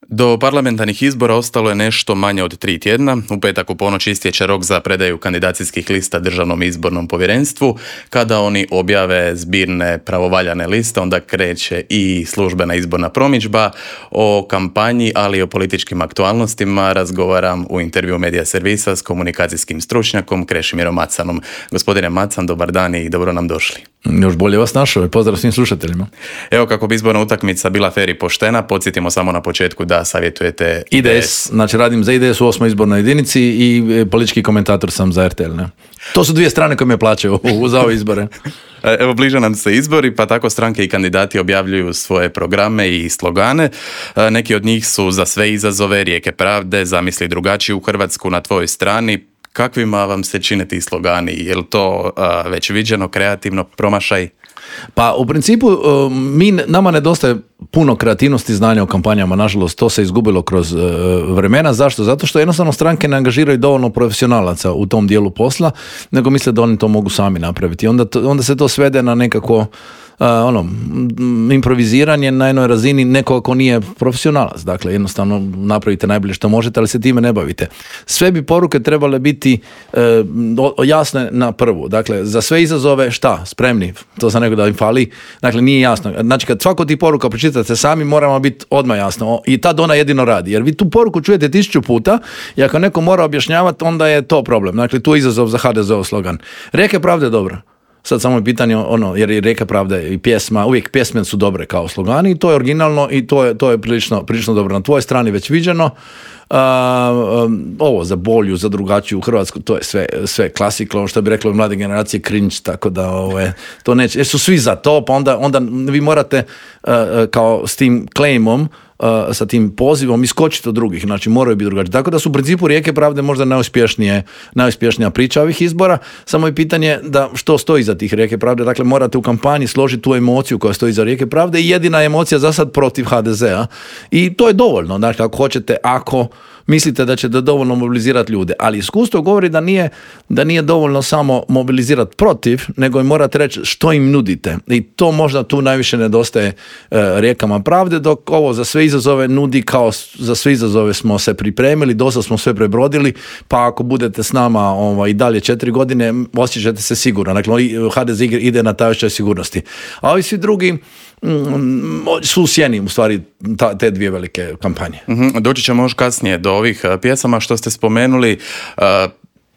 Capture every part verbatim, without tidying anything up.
Do parlamentarnih izbora ostalo je nešto manje od tri tjedna. U petak u ponoć istječe rok za predaju kandidacijskih lista Državnom izbornom povjerenstvu. Kada oni objave zbirne pravovaljane liste, onda kreće i službena izborna promidžba. O kampanji, ali i o političkim aktualnostima razgovaram u intervju Medija servisa s komunikacijskim stručnjakom Krešimirom Macanom. Gospodine Macan, dobar dan i dobro nam došli. Još bolje vas našao, pozdrav svim slušateljima. Evo, kako bi izborna utakmica bila fer i poštena, podsjetimo samo na početku da savjetujete I D S. Znači radim za I D S u osmoj izbornoj jedinici i politički komentator sam za R T L. Ne? To su dvije strane koje me plaćaju za ove izbore. Evo, bliže nam se izbori, pa tako stranke i kandidati objavljuju svoje programe i slogane. Neki od njih su za sve izazove, rijeke pravde, zamisli drugačiju Hrvatsku, na tvojoj strani. Kakvima vam se čine ti slogani? Je li to uh, već viđeno, kreativno, promašaj? Pa u principu mi, nama nedostaje puno kreativnosti i znanja o kampanjama, nažalost to se izgubilo kroz uh, vremena. Zašto? Zato što jednostavno stranke ne angažiraju dovoljno profesionalaca u tom dijelu posla, nego misle da oni to mogu sami napraviti. Onda, to, onda se to svede na nekako Uh, ono, improviziranje na jednoj razini nekoga ko nije profesionalac. Dakle, jednostavno napravite najbolje što možete, ali se time ne bavite. Sve bi poruke trebale biti uh, jasne na prvu. Dakle, za sve izazove šta? Spremni. To za nego da im fali. Dakle, nije jasno. Znači, kad svako ti poruka pročitate sami, moramo biti odmah jasno. I tad ona jedino radi. Jer vi tu poruku čujete tisuću puta i ako neko mora objašnjavati, onda je to problem. Dakle, tu je izazov za H D Z-ov slogan. Rijeke pravde je dobro. Sad samo je pitanje, ono, jer i Rijeka pravde i pjesma, uvijek pjesme su dobre kao slogani i to je originalno i to je, to je prilično, prilično dobro. Na tvojoj strani već viđeno. Uh, um, ovo za bolju, za drugačiju Hrvatsku, to je sve, sve klasika, ono što bi reklo mlade generacije cringe, tako da ove, to neće, jer su svi za to, pa onda, onda vi morate uh, kao s tim claimom, Uh, sa tim pozivom iskočiti od drugih, znači moraju biti drugačiji. Tako da su u principu Rijeke pravde možda najuspješnije, najuspješnija priča ovih izbora, samo je pitanje da što stoji za tih Rijeke pravde, dakle morate u kampanji složiti tu emociju koja stoji za Rijeke pravde i jedina emocija za sad protiv H D Z-a i to je dovoljno, znači ako hoćete, ako mislite da ćete dovoljno mobilizirati ljude, ali iskustvo govori da nije, da nije dovoljno samo mobilizirati protiv, nego i morate reći što im nudite i to možda tu najviše nedostaje uh, Rijekama pravde, dok ovo za sve izazove nudi kao za sve izazove smo se pripremili, dosta smo sve prebrodili, pa ako budete s nama ovaj, i dalje četiri godine, osjećate se sigurno. Dakle, H D Z ide na taj osjećaj sigurnosti. A ovi svi drugi mm, su u sjeni, u stvari, ta, te dvije velike kampanje. Mm-hmm. Doći ćemo još kasnije do ovih pjesama što ste spomenuli. Uh,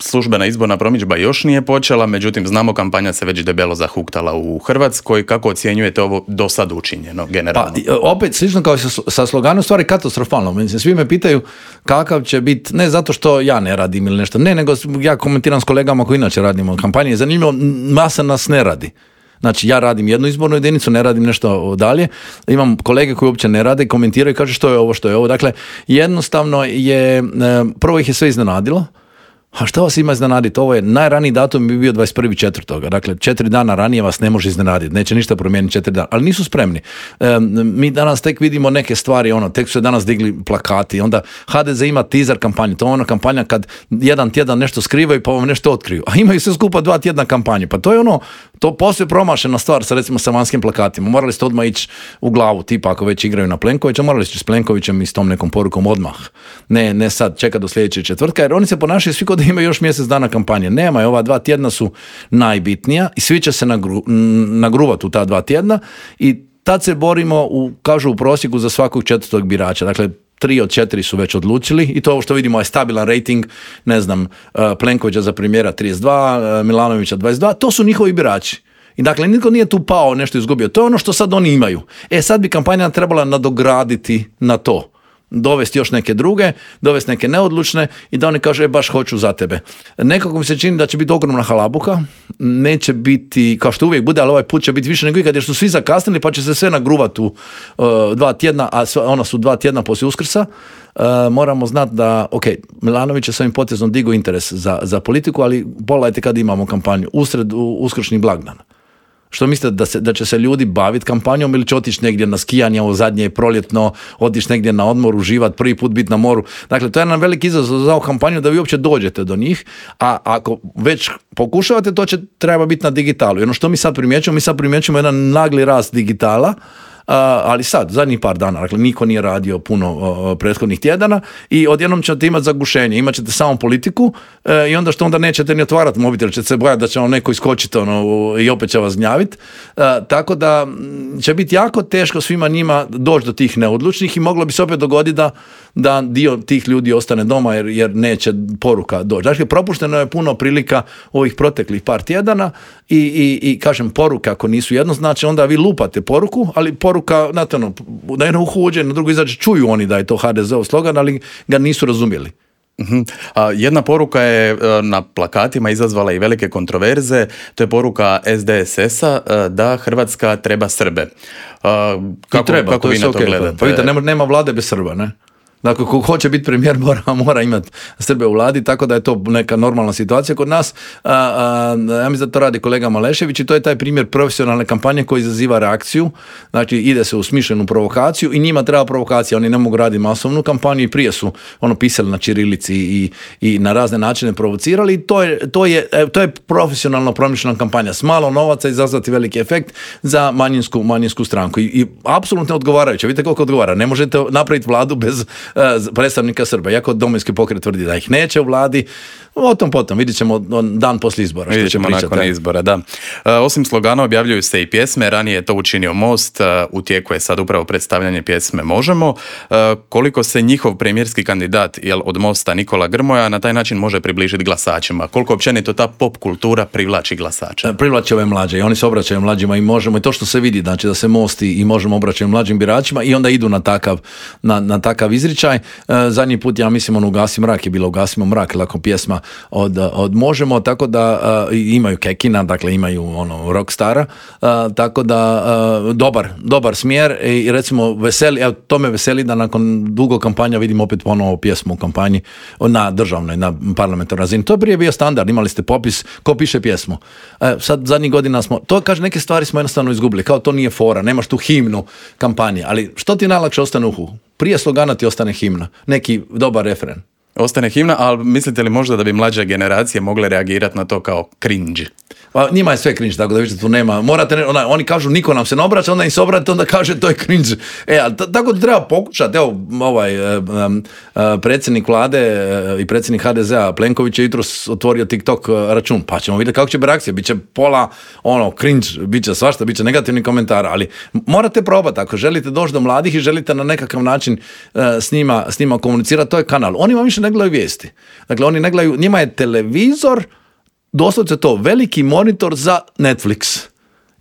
Službena izborna promidžba još nije počela, međutim znamo kampanja se već debelo zahuktala u Hrvatskoj. Kako ocjenjujete ovo do sad učinjeno generalno? Pa, opet, slično kao sa sloganom, stvari katastrofalno. Mislim, svi me pitaju kakav će biti, ne zato što ja ne radim ili nešto, ne, nego ja komentiram s kolegama koji inače radimo kampanje. Zanimljivo, masa nas ne radi. Znači, ja radim jednu izbornu jedinicu, ne radim nešto dalje. Imam kolege koji uopće ne rade, komentiraju i kažu što je ovo, što je ovo. Dakle, jednostavno je, prvo ih je sve iznenadilo. A šta vas ima iznenaditi? Ovo je najraniji datum bi bio dvadeset prvi četvrtog Dakle, četiri dana ranije vas ne može iznenaditi. Neće ništa promijeniti četiri dana. Ali nisu spremni. E, mi danas tek vidimo neke stvari, ono, tek su se danas digli plakati. Onda H D Z ima teaser kampanju. To je ona kampanja kad jedan tjedan nešto skrivaju pa vam nešto otkriju. A imaju sve skupa dva tjedna kampanje. Pa to je ono, to poslije promašena stvar sa recimo sa vanjskim plakatima. Morali ste odmah ići u glavu, tipa ako već igraju na Plenkovića, morali ste s Plenkovićem i s tom nekom porukom odmah. Ne, ne sad, čeka do sljedećeg četvrtka, jer oni se ponašaju svi da ima još mjesec dana kampanje. Nema, ova dva tjedna su najbitnija i svi će se nagru, nagruvati u ta dva tjedna i tad se borimo, u, kažu u prosjeku, za svakog četvrtog birača. Dakle, tri od četiri su već odlučili i to ovo što vidimo je stabilan rating, ne znam, Plenkovića za premijera trideset dva, Milanovića dvadeset dva, to su njihovi birači. I dakle, nitko nije tu pao, nešto izgubio. To je ono što sad oni imaju. E, sad bi kampanja trebala nadograditi na to. Dovesti još neke druge, dovesti neke neodlučne i da oni kažu, e, baš hoću za tebe. Nekako mi se čini da će biti ogromna halabuka, neće biti, kao što uvijek bude, ali ovaj put će biti više nego ikad, jer su svi zakasnili, pa će se sve nagruvati u uh, dva tjedna, a ona su dva tjedna poslije Uskrsa. Uh, moramo znati da, ok, Milanović je s ovim potezom digao interes za, za politiku, ali pogledajte kad imamo kampanju, usred uskršnji blagdan. Što mislite, da, se, da će se ljudi baviti kampanjom ili će otići negdje na skijanje, ovo zadnje je proljetno, otići negdje na odmor, uživati, prvi put biti na moru. Dakle, to je jedan veliki izazov za ovu kampanju da vi uopće dođete do njih, a ako već pokušavate, to će treba biti na digitalu. I ono što mi sad primjećujemo, mi sad primjećujemo jedan nagli rast digitala, ali sad, zadnjih par dana, dakle, niko nije radio puno uh, prethodnih tjedana i odjednom ćete imati zagušenje, imat ćete samo politiku uh, i onda što onda nećete ni otvarati mobitel, ćete se bojati da će vam neko iskočiti ono, i opet će vas gnjaviti. Uh, tako da će biti jako teško svima njima doći do tih neodlučnih i moglo bi se opet dogoditi da, da dio tih ljudi ostane doma jer, jer neće poruka doći. Dakle, propušteno je puno prilika ovih proteklih par tjedana i, i, i kažem, poruka ako nisu jednoznačne, onda vi lupate poruku, ali poruka, znate ono, na jedno uho uđe, na drugo izađe, čuju oni da je to ha de ze ov slogan, ali ga nisu razumjeli. Uh-huh. A jedna poruka je na plakatima izazvala i velike kontroverze, to je poruka es de es es-a da Hrvatska treba Srbe. Kako, treba, kako to vi na to okay, gledate? Pa vidite, nema, nema vlade bez Srba, ne? Dakle, ko hoće biti premijer mora, mora imati Srbe u vladi, tako da je to neka normalna situacija kod nas. A, a, ja mislim da to radi kolega Malešević i to je taj primjer profesionalne kampanje koji izaziva reakciju. Znači, ide se u smišljenu provokaciju i njima treba provokacija. Oni ne mogu raditi masovnu kampanju i prije su ono pisali na ćirilici i, i na razne načine provocirali. I to je, to je, to je profesionalno promišljena kampanja. S malo novaca izazvati veliki efekt za manjinsku, manjinsku stranku. I, i apsolutno odgovarajuće. Vidite koliko odgovara. Ne možete napraviti vladu bez predstavnika Srba, iako Domovinski pokret tvrdi da ih neće u vladi, o tom potom, vidjet ćemo dan poslije izbora. Vidjet ćemo nakon izbora, da. E, osim slogana objavljuju se i pjesme, ranije je to učinio Most, e, u tijeku je sad upravo predstavljanje pjesme Možemo. E, koliko se njihov premijerski kandidat, jel, od Mosta Nikola Grmoja, na taj način može približiti glasačima? Koliko općenito ta pop kultura privlači glasača? E, privlači ove mlađe i oni se obraćaju mlađima i Možemo, i to što se vidi, znači da se Most i Možemo obraćaju mlađim biračima i onda idu na takav, na, na takav izričaj. E, zadnji put, ja mislim, on Ugasi mrak je bilo Ugasimo mrak, lako pjesma od, od Možemo, tako da uh, imaju Kekina, dakle imaju ono rockstara, uh, tako da uh, dobar, dobar smjer i recimo veseli, evo to me veseli da nakon dugo kampanja vidim opet ponovo pjesmu u kampanji na državnoj, na parlamentarnoj razini. To je prije bio standard, imali ste popis ko piše pjesmu. Uh, sad zadnjih godina smo, to kaže neke stvari smo jednostavno izgubili, kao to nije fora, nemaš tu himnu kampanje, ali što ti najlakše ostane u uhu? Prije slogana ti ostane himna, neki dobar refren. Ostane himna, ali mislite li možda da bi mlađe generacije mogle reagirati na to kao cringe? Pa njima je sve cringe, tako da vidite tu nema. Morate, ona, oni kažu niko nam se ne obraća, onda im se obrate, onda kaže to je cringe. E, ali t- tako da treba pokušati. Evo, ovaj um, uh, predsjednik vlade uh, i predsjednik ha de ze-a Plenković je jutros otvorio TikTok uh, račun, pa ćemo vidjeti kako će biti reakcija. Biće pola ono cringe, biće svašta, biće negativni komentar, ali morate probati ako želite doći do mladih i želite na nekakav način uh, s njima, s njima komunicirati, to je kanal. Oni vam više ne gledaju vijesti. Dakle, oni ne gledaju, njima je televizor doslovce to, veliki monitor za Netflix.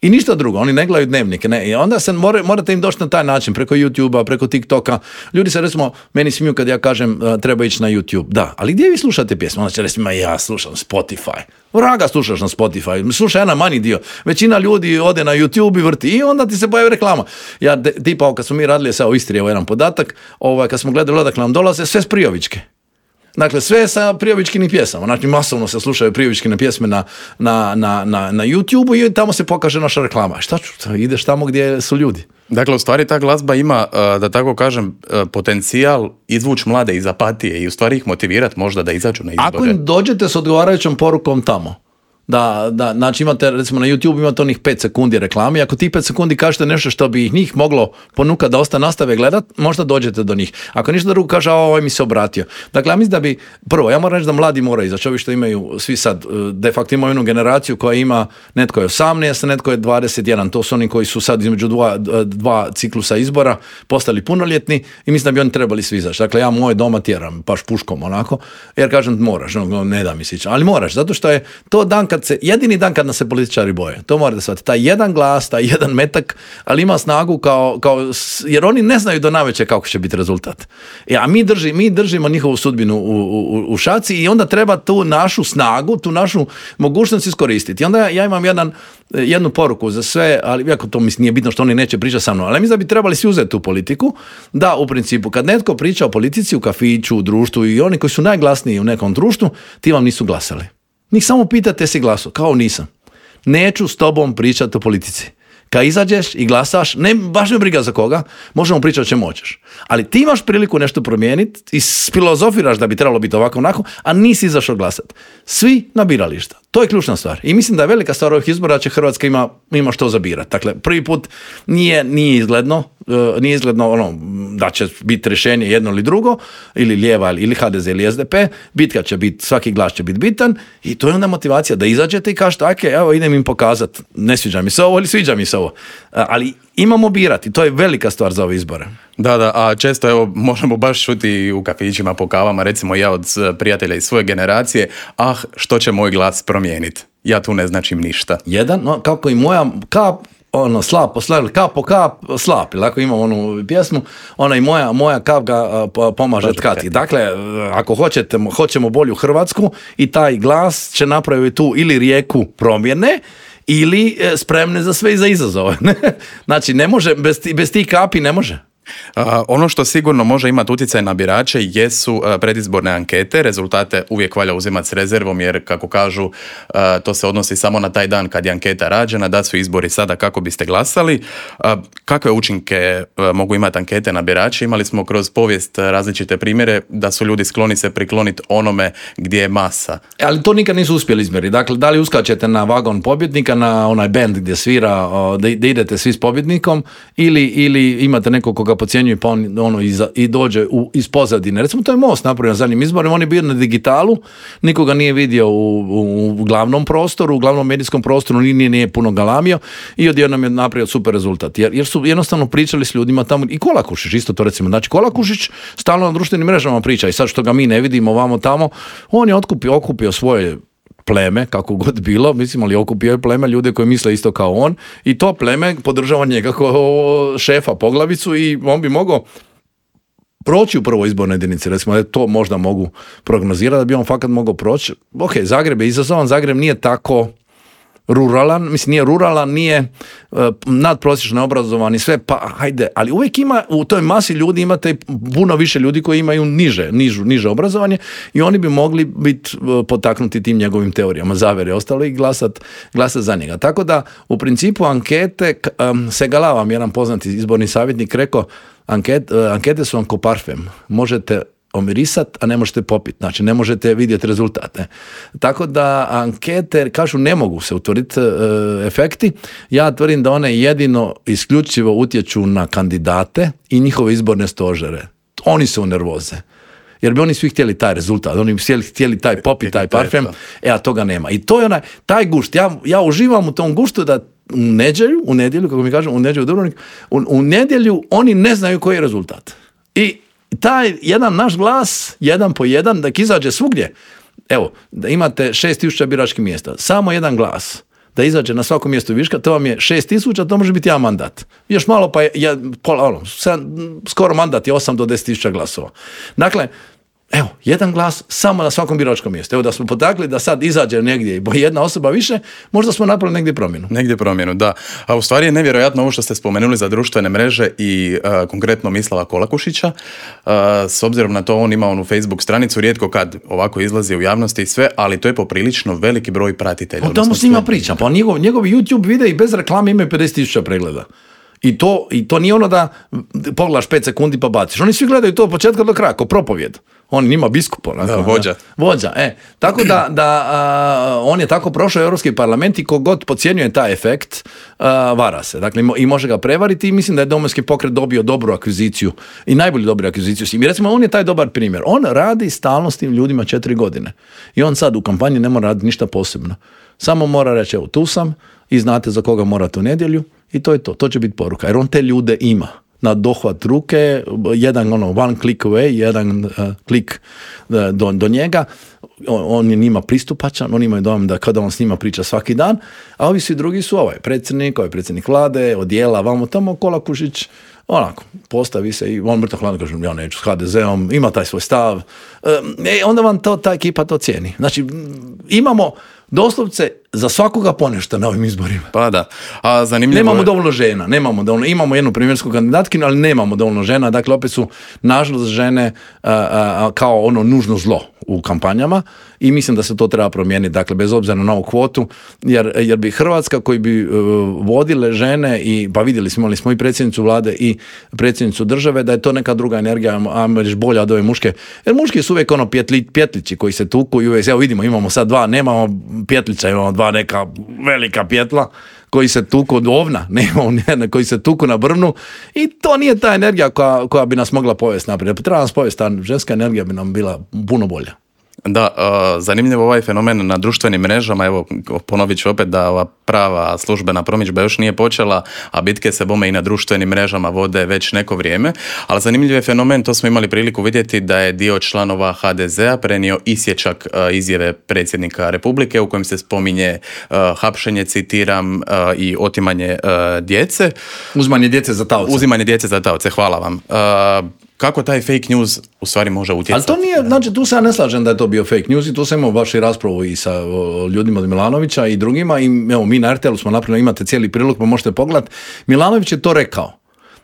I ništa drugo, oni ne gledaju dnevnike. Ne. I onda se more, morate im doći na taj način, preko YouTubea, preko TikToka. Ljudi se recimo, meni smiju kad ja kažem uh, treba ići na YouTube. Da, ali gdje vi slušate pjesmu? Onda će reći, ma ja slušam Spotify. Vraga slušaš na Spotify. Slušaj jedan manji dio. Većina ljudi ode na YouTube i vrti i onda ti se pojavi reklama. Ja, de, tipa, kad smo mi radili sa u Istri, evo jedan podatak, ovaj, kad smo gledali odakle nam dolaze, sve s Prijovičke. Dakle, sve sa prijovičkinim pjesama. Znači, masovno se slušaju prijovičkine pjesme na, na, na, na, na YouTube-u i tamo se pokaže naša reklama. Šta ću? Ideš tamo gdje su ljudi. Dakle, u stvari ta glazba ima, da tako kažem, potencijal izvući mlade iz apatije i u stvari ih motivirati možda da izađu na izbore. Ako im dođete s odgovarajućom porukom tamo, da, da, znači imate, recimo na YouTube imate onih pet sekundi reklami, ako ti pet sekundi kažete nešto što bi ih njih moglo ponukati da ostane nastave gledat, možda dođete do njih. Ako ništa drugo kaže, a ovaj mi se obratio. Dakle, ja mislim da bi, prvo, ja moram reći da mladi moraju izaći, ovi što imaju, svi sad, de facto imaju jednu generaciju koja ima, netko je osamnaest, netko je dvadeset jedan, to su oni koji su sad između dva, dva ciklusa izbora postali punoljetni i mislim da bi oni trebali svi izaći. Dakle, ja moje doma tjeram, baš puškom onako, jer kažem moraš, no, ne da mi sić, ali moraš, zato što je to dan kad se, jedini dan kad nas se političari boje, to morate shvatiti, taj jedan glas, taj jedan metak, ali ima snagu kao, kao jer oni ne znaju do navečer kako će biti rezultat. E, a mi, drži, mi držimo njihovu sudbinu u, u, u šaci i onda treba tu našu snagu, tu našu mogućnost iskoristiti. I onda ja, ja imam jedan, jednu poruku za sve, ali iako to mislim nije bitno što oni neće pričati sa mnom, ali mislim da bi trebali svi uzeti tu politiku, da u principu kad netko priča o politici u kafiću, u društvu i oni koji su najglasniji u nekom društvu, ti vam nisu glasali. Njih samo pitate si glasu, kao nisam. Neću s tobom pričati o politici. Kad izađeš i glasaš, ne, baš me briga za koga, možemo pričati o čemu hoćeš. Ali ti imaš priliku nešto promijeniti i filozofiraš da bi trebalo biti ovako onako, a nisi izašao glasati. Svi na birališta. To je ključna stvar. I mislim da je velika stvar ovih izbora da će Hrvatska ima, ima što zabirati. Dakle, prvi put nije, nije izgledno, nije izgledno ono, da će biti rješenje jedno ili drugo, ili lijeva, ili H D Z, ili S D P. Bitka će biti, svaki glas će biti bitan i to je onda motivacija da izađete i kažete, ok, evo idem im pokazati, ne sviđa mi se ovo ili sviđa mi se ovo. Ali imamo birati, to je velika stvar za ove izbore. Da, da, a često evo možemo baš čuti u kafićima, po kavama, recimo ja od prijatelja iz svoje generacije, ah, što će moj glas promijeniti? Ja tu ne značim ništa. Jedan, no, kako i moja kap, ono, slap po slap, kap po kap, slap, ili ako imam onu pjesmu, ona i moja, moja kap ga pomaže tkati. Dakle, ako hoćete, hoćemo bolju Hrvatsku i taj glas će napraviti tu ili rijeku promjene, ili spremne za sve i za izazove. Znači, ne može, bez, bez tih kapi ne može. Uh, ono što sigurno može imati utjecaj na birače jesu uh, predizborne ankete. Rezultate uvijek valja uzimati s rezervom jer, kako kažu, uh, to se odnosi samo na taj dan kad je anketa rađena, da su izbori sada kako biste glasali. Uh, kakve učinke uh, mogu imati ankete na birače? Imali smo kroz povijest različite primjere da su ljudi skloni se prikloniti onome gdje je masa. Ali to nikad nisu uspjeli izmjeriti. Dakle, da li uskačete na vagon pobjednika, na onaj band gdje svira, uh, da, da idete svi s pobjednikom, ili, ili imate nekog koga podcjenjuje pa on ono, i, i dođe u, iz pozadine. Recimo, to je Most napravio na zadnjim izborima, on je bio na digitalu, nikoga nije vidio u, u, u glavnom prostoru, u glavnom medijskom prostoru, nije, nije puno galamio i odjednom je napravio super rezultat. Jer, jer su jednostavno pričali s ljudima tamo, i Kolakušić isto to recimo. Znači, Kolakušić stalno na društvenim mrežama priča i sad što ga mi ne vidimo vamo tamo, on je otkupio, okupio svoje pleme, kako god bilo, mislim, ali okupio je pleme ljude koji misle isto kao on i to pleme podržava njega kao šefa poglavicu i on bi mogao proći u prvoj izbornoj jedinici, recimo da to možda mogu prognozirati, da bi on fakat mogao proći. Ok, Zagreb je izazovan, Zagreb nije tako ruralan, mislim nije ruralan, nije uh, nadprosječno obrazovan i sve, pa hajde, ali uvijek ima, u toj masi ljudi imate puno više ljudi koji imaju niže, nižu, niže obrazovanje i oni bi mogli biti uh, potaknuti tim njegovim teorijama zavere ostalo i glasat, glasat za njega. Tako da, u principu ankete, um, Segala vam jedan poznati izborni savjetnik rekao, anket, uh, ankete su vam ko parfem, možete omirisat, a ne možete popiti. Znači, ne možete vidjeti rezultate. Tako da ankete, kažu, ne mogu se utvrditi e, efekti. Ja tvrdim da one jedino isključivo utječu na kandidate i njihove izborne stožere. Oni su u nervoze. Jer bi oni svi htjeli taj rezultat, oni bi htjeli, htjeli taj popit, taj parfem, e, a toga nema. I to je onaj, taj gušt, ja, ja uživam u tom guštu da u nedjelju, u nedjelju, kako mi kažem, u nedjelju u Dubrovnik, u, u nedjelju oni ne znaju koji je rezultat. I taj jedan naš glas, jedan po jedan, da izađe svugdje. Evo, da imate šest tisuća biračkih mjesta, samo jedan glas, da izađe na svako mjesto viška, to vam je šest tisuća, to može biti jedan mandat. Još malo pa je, je pola, ono, sedam, skoro mandat je osam do deset tisuća glasova. Dakle, evo, jedan glas samo na svakom biračkom mjestu. Evo, da smo potakli da sad izađe negdje i jedna osoba više, možda smo napravili negdje promjenu. Negdje promjenu, da. A u stvari je nevjerojatno ovo što ste spomenuli za društvene mreže i uh, konkretno Mislava Kolakušića. Uh, s obzirom na to, on ima onu Facebook stranicu, rijetko kad ovako izlazi u javnosti i sve, ali to je poprilično veliki broj pratitelja. O tamo s njima pričam. Pa njegov, njegovi YouTube videi bez reklame imaju pedeset tisuća pregleda. I to, I to nije ono da pogledaš pet sekundi pa baciš. Oni svi gledaju to od početka do kraja, kao propovjed. On njima biskup. Onako, da, vođa. Vođa, e. Tako da, da a, on je tako prošao Europski parlament i kogod podcjenjuje taj efekt, a, vara se. Dakle, i može ga prevariti i mislim da je Domovinski pokret dobio dobru akviziciju i najbolju dobru akviziciju s njim. I recimo, on je taj dobar primjer. On radi stalno s tim ljudima četiri godine. I on sad u kampanji ne mora raditi ništa posebno. Samo mora reći, evo, tu sam i znate za koga morate u nedjelju i to je to. To će biti poruka. Jer on te ljude ima. Na dohvat ruke, jedan ono one click away, jedan uh, klik uh, do, do njega, on, on je njima pristupačan, oni imaju dojam da kada on s njima priča svaki dan, a ovi svi drugi su ovaj predsjednik, ovaj predsjednik vlade, odjela, vamo tamo, Kolakušić, onako, postavi se i on mrtvo hladno kaže, ja neću s ha de zeom, ima taj svoj stav, e, onda vam to, ta ekipa to cijeni. Znači, imamo doslovce za svakoga ponešto na ovim izborima. Pa da. A zanimljivo nemamo dovoljno žena, nemamo dovoljno, imamo jednu primjersku kandidatkinju, ali nemamo dovoljno žena, dakle opet su nažalost žene a, a, kao ono nužno zlo u kampanjama i mislim da se to treba promijeniti, dakle bez obzira na novu kvotu, jer, jer bi Hrvatska koji bi uh, vodile žene i, pa vidjeli smo, imali smo i predsjednicu vlade i predsjednicu države, da je to neka druga energija, ajmo reći bolja od ove muške, jer muški su uvijek ono pjetli, pjetlići koji se tuku i uvijek, evo vidimo, imamo sad dva, nemamo pjetlića, imamo dva neka velika pjetla koji se tuku od ovna, nemamo nijedne koji se tuku na brvnu i to nije ta energija koja, koja bi nas mogla povesti naprijed. Treba nas povesti, ta ženska energija bi nam bila puno bolja. Da, uh, zanimljivo ovaj fenomen na društvenim mrežama, evo ponovit ću opet da ova prava službena promidžba još nije počela, a bitke se bome i na društvenim mrežama vode već neko vrijeme, ali zanimljiv je fenomen, to smo imali priliku vidjeti da je dio članova ha de zea prenio isječak uh, izjave predsjednika Republike u kojem se spominje uh, hapšenje, citiram, uh, i otimanje uh, djece. Uzimanje djece za taoce. Uzimanje djece za taoce, hvala vam. Uh, Kako taj fake news u stvari može utjecati? Ali to nije, znači tu se ja ne slažem da je to bio fake news i tu sam imao baš i raspravu i sa o, ljudima od Milanovića i drugima i evo mi na er te el u smo napravili, imate cijeli prilog pa možete pogledati. Milanović je to rekao.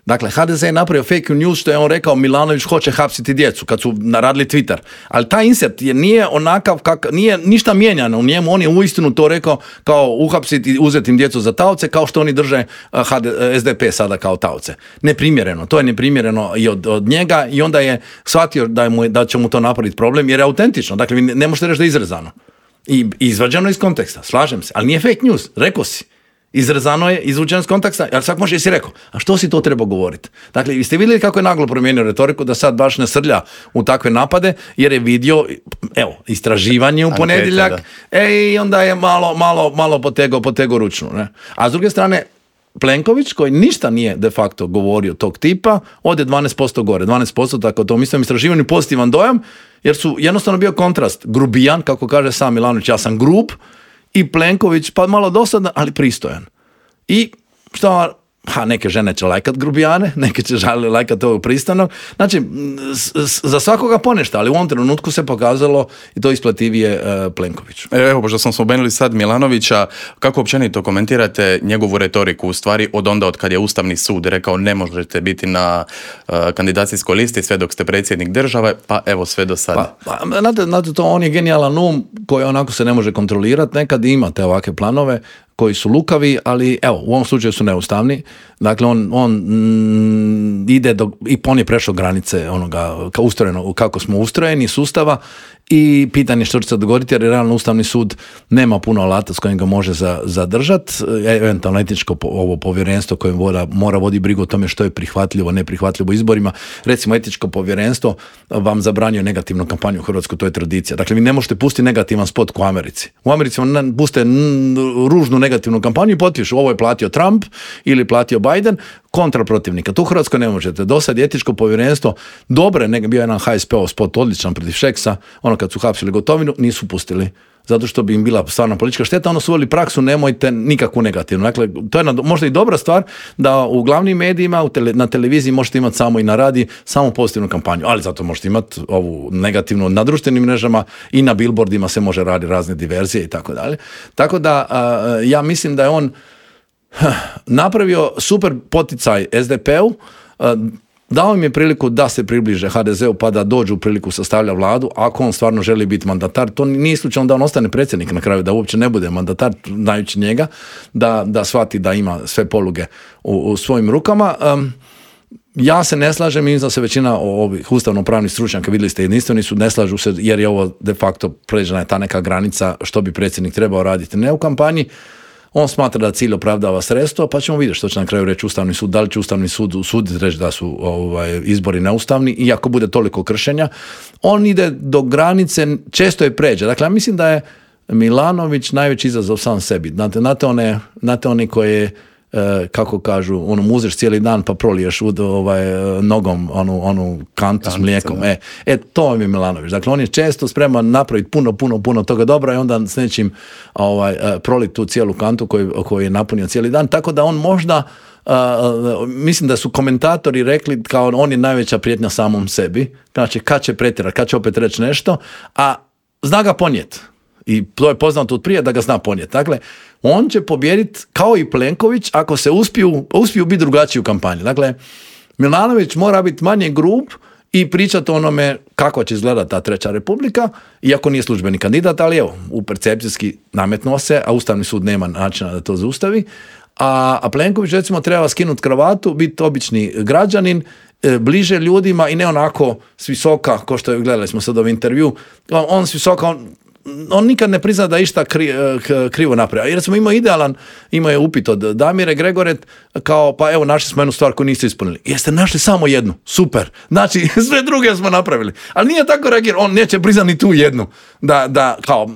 Dakle, ha de ze je napravio fake news što je on rekao Milanović hoće hapsiti djecu kad su naradili Twitter. Ali taj insert je nije onakav, kak, nije ništa mijenjano u njemu, on je uistinu to rekao kao uhapsiti i uzeti im djecu za taoce kao što oni drže ha de, es de pe sada kao taoce. Neprimjereno, to je neprimjereno i od, od njega i onda je shvatio da, je mu, da će mu to napraviti problem jer je autentično. Dakle, vi ne, ne možete reći da je izrezano. I izvađeno iz konteksta, slažem se, ali nije fake news, rekao si. Izrezano je, izvučeno iz konteksta, ali svak može jesi rekao, a što si to trebao govoriti? Dakle, vi ste vidjeli kako je naglo promijenio retoriku da sad baš ne srlja u takve napade, jer je vidio, evo, istraživanje u ponedjeljak, e, i onda je malo, malo, malo potego, potego ručnu. Ne? A s druge strane, Plenković, koji ništa nije de facto govorio tog tipa, ode dvanaest posto gore, dvanaest posto, tako to mislim istraživanju pozitivan dojam, jer su jednostavno bio kontrast, grubijan, kako kaže sam Milanović, ja sam grub, i Plenković, pa malo dosadan, ali pristojan. I što, ha, neke žene će lajkat grubijane, neke će žali lajkat ovog pristanog. Znači, s, s, za svakoga ponešta, ali u ovom trenutku se pokazalo i to isplativije uh, Plenkoviću. Evo, pošto smo spomenuli sad Milanovića, kako općenito komentirate njegovu retoriku, u stvari od onda od kad je Ustavni sud rekao ne možete biti na uh, kandidacijskoj listi sve dok ste predsjednik države, pa evo sve do sada. Pa, pa znate, znate, to on je genijalan um koji onako se ne može kontrolirati, nekad imate ovakve planove koji su lukavi, ali evo, u ovom slučaju su neustavni. Dakle, on, on mm, ide do, i on je prešao granice onoga ka ustrojeno, kako smo ustrojeni, sustava i pitanje što će se dogoditi, jer je realno Ustavni sud nema puno alata s kojim ga može za, zadržati. Eventualno etičko po, ovo povjerenstvo koje mora, mora vodi brigu o tome što je prihvatljivo, neprihvatljivo izborima. Recimo, etičko povjerenstvo vam zabranjuje negativnu kampanju u Hrvatskoj, to je tradicija. Dakle, vi ne možete pustiti negativan spot ko u Americi. U Americi vam puste ružnu negativnu kampanju i potpišu ovo je platio Trump ili platio Biden kontra protivnika. Tu u Hrvatskoj ne možete. Do sad je etičko povjerenstvo dobre, nek bio jedan ha es pe ov spot odličan protiv Šeksa, ono kad su hapsili Gotovinu, nisu pustili. Zato što bi im bila stvarno politička šteta, ono su uveli praksu, nemojte nikakvu negativnu. Dakle, to je možda i dobra stvar da u glavnim medijima, u tele, na televiziji možete imati samo i na radiji, samo pozitivnu kampanju, ali zato možete imati ovu negativnu na društvenim mrežama i na billboardima se može raditi razne diverzije i tako dalje. Tako da, a, ja mislim da je on napravio super poticaj es de pe u, dao im je priliku da se približe ha de zeu pa da dođu u priliku sastavlja vladu, ako on stvarno želi biti mandatar. To nije slučajno da on ostane predsjednik na kraju, da uopće ne bude mandatar, znajući njega, da, da shvati da ima sve poluge u, u svojim rukama. Um, ja se ne slažem, mislim da se većina ovih ustavno-pravnih stručnjaka, vidjeli ste, jedinstveni su, ne slažu se jer je ovo de facto pređena je ta neka granica što bi predsjednik trebao raditi ne u kampanji. On smatra da cilj opravdava sredstvo, pa ćemo vidjeti što će na kraju reći Ustavni sud, da li će Ustavni sud usuditi reći da su ovaj, izbori neustavni, i ako bude toliko kršenja, on ide do granice, često je pređe. Dakle, ja mislim da je Milanović najveći izazov sam sebi. Znate, znate one, znate oni koje, e, kako kažu, ono, muzeš cijeli dan pa proliješ u, ovaj, nogom onu, onu kantu s mlijekom. E, e, to je Milanović. Dakle, on je često spreman napraviti puno, puno, puno toga dobra i onda s nečim ovaj, proliti tu cijelu kantu koju, koju je napunio cijeli dan. Tako da on možda, uh, mislim da su komentatori rekli kao on je najveća prijetnja samom sebi. Znači, kad će pretjerati, kad će opet reći nešto, a zna ga ponijeti. I to je poznato od prije da ga zna ponijeti. Dakle, on će pobijediti kao i Plenković ako se uspiju, uspiju biti drugačiji u kampanji. Dakle, Milanović mora biti manje grub i pričati o onome kako će izgledati ta treća republika, iako nije službeni kandidat, ali evo, u percepcijski nametnuo se, a Ustavni sud nema načina da to zaustavi. A, a Plenković recimo treba skinuti kravatu, biti obični građanin, e, bliže ljudima i ne onako s visoka, ko što je, gledali smo sad ovaj intervju, on, on s visoka, on, on nikad ne prizna da je išta kri, krivo napravio. Jer smo imao idealan, imao je upit od Damire Gregoret, kao pa evo našli smo jednu stvar koju niste ispunili. Jeste našli samo jednu, super. Znači sve druge smo napravili. Ali nije tako reagirao, on neće priznati ni tu jednu. Da, da, kao,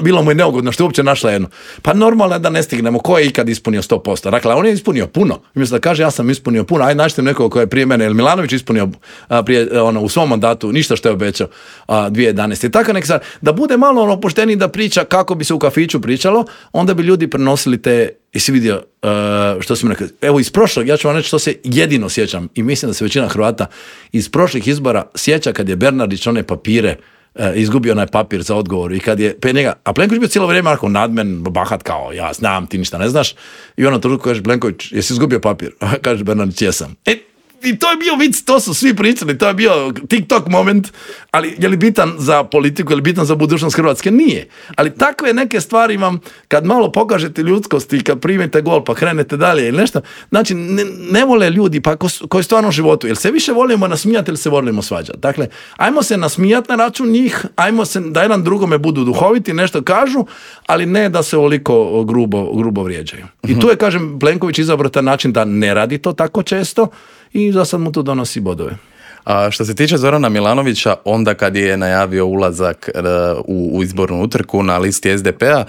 bilo mu je neugodno što je uopće našla jednu. Pa normalno je da ne stignemo, ko je ikad ispunio sto posto. Dakle, on je ispunio puno. Umjesto da kaže ja sam ispunio puno, ajde nađite nekog koji je prije mene, ili Milanović ispunio a, prije, ono, u svom mandatu ništa što je obećao a, dvije tisuće jedanaeste. Tako nek sad, da bude malo ono opušteniji da priča kako bi se u kafiću pričalo, onda bi ljudi prenosili te, jesi vidio uh, što sam rekao, evo iz prošlog, ja ću vam reći što se jedino sjećam i mislim da se većina Hrvata iz prošlih izbora sjeća kad je Bernardić one papire uh, izgubio onaj papir za odgovor i kad je pe njega, a Plenković bio cijelo vrijeme ako nadmen, bahat kao ja znam, ti ništa ne znaš i ono trenutku kaže Plenković, jesi izgubio papir? Kaže Bernardić, jesam. E, i to je bio vic, to su svi pričali, to je bio TikTok moment, ali je li bitan za politiku, je li bitan za budućnost Hrvatske? Nije. Ali takve neke stvari vam, kad malo pokažete ljudskosti, kad primite gol pa krenete dalje ili nešto, znači ne, ne vole ljudi pa ko, koji stvarno u životu, jel se više volimo nasmijati ili se volimo svađati. Dakle, ajmo se nasmijati na račun njih, ajmo se da jedan drugome budu duhoviti, nešto kažu, ali ne da se ovoliko grubo, grubo vrijeđaju. I tu je, kažem, Plenković izabrao taj način da ne radi to tako često, i za sad mu to donosi bodove. A što se tiče Zorana Milanovića, onda kad je najavio ulazak u, u izbornu utrku na listi es de pe-a,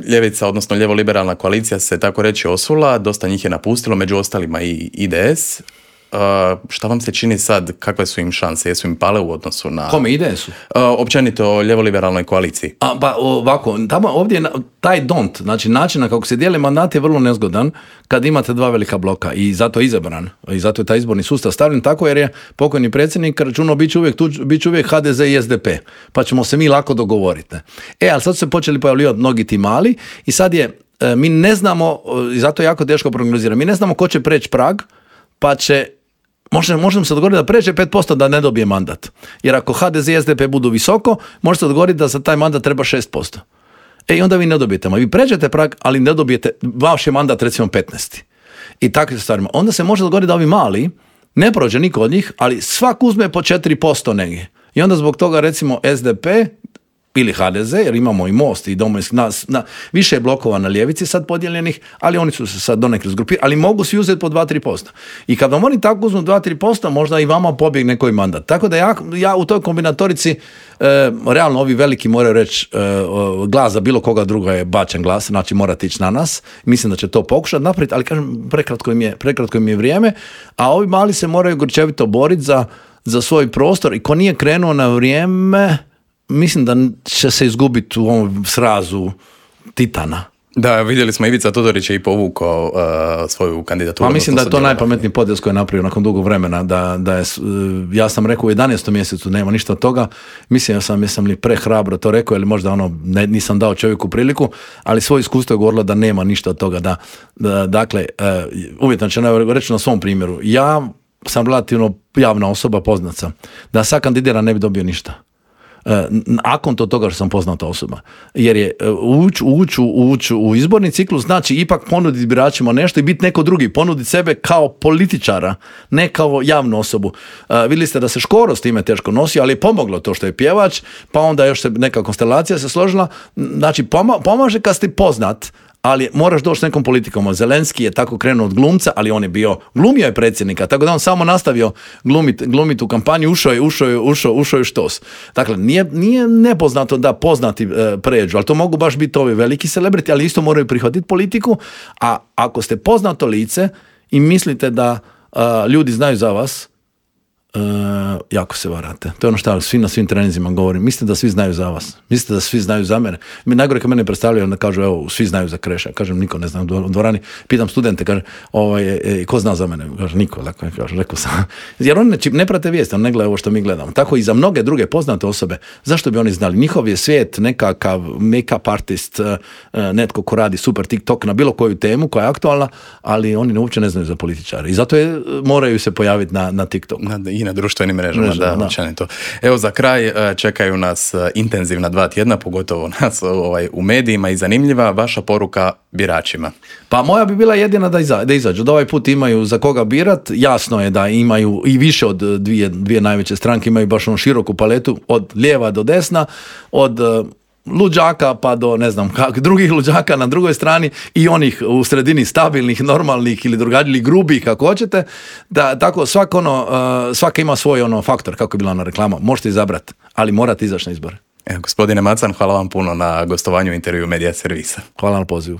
ljevica, odnosno ljevo-liberalna koalicija se tako reći osula, dosta njih je napustilo, među ostalima i i de es. Uh, šta vam se čini sad, kakve su im šanse, jesu im pale u odnosu na... Kome, i de esu? Uh, općenito o ljevo-liberalnoj koaliciji. A, pa ovako, tamo ovdje je taj don't, znači način na kako se dijeli mandat je vrlo nezgodan kad imate dva velika bloka i zato je izabran i zato je taj izborni sustav stavljen tako jer je pokojni predsjednik računao bit će uvijek, bit će uvijek ha de ze i es de pe, pa ćemo se mi lako dogovoriti. E, ali sad su se počeli pojavljivati mnogi ti mali i sad je, mi ne znamo, i zato je jako teško prognozirati, mi ne znamo ko će preći prag, pa će Možemo, možemo se dogovoriti da pređe pet posto da ne dobije mandat. Jer ako ha de ze i es de pe budu visoko, može se dogovoriti da za taj mandat treba šest posto. E i onda vi ne dobijete. Vi pređete prag, ali ne dobijete, vaš je mandat recimo petnaest. I takvim stvarima. Onda se može dogovoriti da ovi mali, ne prođe niko od njih, ali svak uzme po četiri posto negdje. I onda zbog toga recimo es de pe ili ha de ze, jer imamo i Most i Domovinski, na, na, više je blokova na ljevici sad podijeljenih, ali oni su se sad donekle zgrupirali, ali mogu svi uzeti po dva do tri posto. I kad vam oni tako uzmu dva do tri posto, možda i vama pobjegne koji mandat. Tako da ja, ja u toj kombinatorici, e, realno ovi veliki moraju reći, e, glas za bilo koga druga je bačen glas, znači morate ići na nas. Mislim da će to pokušati napraviti, ali kažem, prekratko im je, prekratko im je vrijeme, a ovi mali se moraju grčevito boriti za, za svoj prostor i ko nije krenuo na vrijeme, mislim da će se izgubiti u ovom srazu titana. Da, vidjeli smo Ivica Todorić je i povukao uh, svoju kandidaturu. Pa mislim da je to najpametniji potez koji je napravio nakon dugog vremena. Da, da je, ja sam rekao u jedanaestom mjesecu nema ništa od toga. Mislim ja sam, jesam li prehrabro to rekao ili možda ono ne, nisam dao čovjeku priliku, ali svoje iskustvo je govorilo da nema ništa od toga. Da, da, dakle, uh, uvjetno će reći na svom primjeru. Ja sam relativno javna osoba, poznat sam. Da sad kandidira ne bi dobio ništa. Nakon to toga što sam poznata osoba. Jer je ući uć, uć, u izborni ciklus znači ipak ponuditi biračima nešto i biti neko drugi, ponuditi sebe kao političara, ne kao javnu osobu. Uh, vidjeli ste da se Škoro s time teško nosi, ali je pomoglo to što je pjevač, pa onda još se neka konstelacija se složila. Znači poma- pomaže kad ste poznat, ali moraš doći s nekom politikom. Zelenski je tako krenuo od glumca, ali on je bio, glumio je predsjednika, tako da on samo nastavio glumit, glumit u kampanju, ušao je, ušao je, ušao, ušao je štos. Dakle, nije, nije nepoznato da poznati e, pređu, ali to mogu baš biti ovi veliki celebrity, ali isto moraju prihvatiti politiku, a ako ste poznato lice i mislite da a, ljudi znaju za vas, Uh, jako se varate. To je ono što svi na svim treninzima govorim. Mislite da svi znaju za vas. Mislite da svi znaju za mene. Mi najgore kad mene predstavljaju, onda kažu, evo, svi znaju za Kreša. Kažem, niko ne zna u dvorani. Pitam studente, kaže, ovaj, e, ko zna za mene? Kaže, niko. Dakle, kaže, rekao sam. Jer oni ne, ne prate vijesti, oni ne gledaju ovo što mi gledamo. Tako i za mnoge druge poznate osobe. Zašto bi oni znali? Njihov je svijet nekakav make-up artist, netko ko radi super TikTok na bilo koju temu koja je aktualna, ali oni uopće ne znaju za političare. I zato je, moraju se pojaviti na, na TikTok. I na društvenim mrežama, Mrežama, da, da. to. Evo za kraj e, čekaju nas e, intenzivna dva tjedna, pogotovo nas ovaj, u medijima i zanimljiva vaša poruka biračima. Pa moja bi bila jedina da, iza, da izađu, da ovaj put imaju za koga birat, jasno je da imaju i više od dvije, dvije najveće stranke, imaju baš onu široku paletu, od lijeva do desna, od uh, luđaka pa do ne znam kak, drugih luđaka na drugoj strani i onih u sredini stabilnih, normalnih ili drugačijih grubih kako hoćete, da tako svak ono, uh, svaka ima svoj ono faktor, kako je bila ona reklama, možete izabrati, ali morate izaći na izbore. Evo, gospodine Macan, hvala vam puno na gostovanju u intervju Medija servisa. Hvala na pozivu.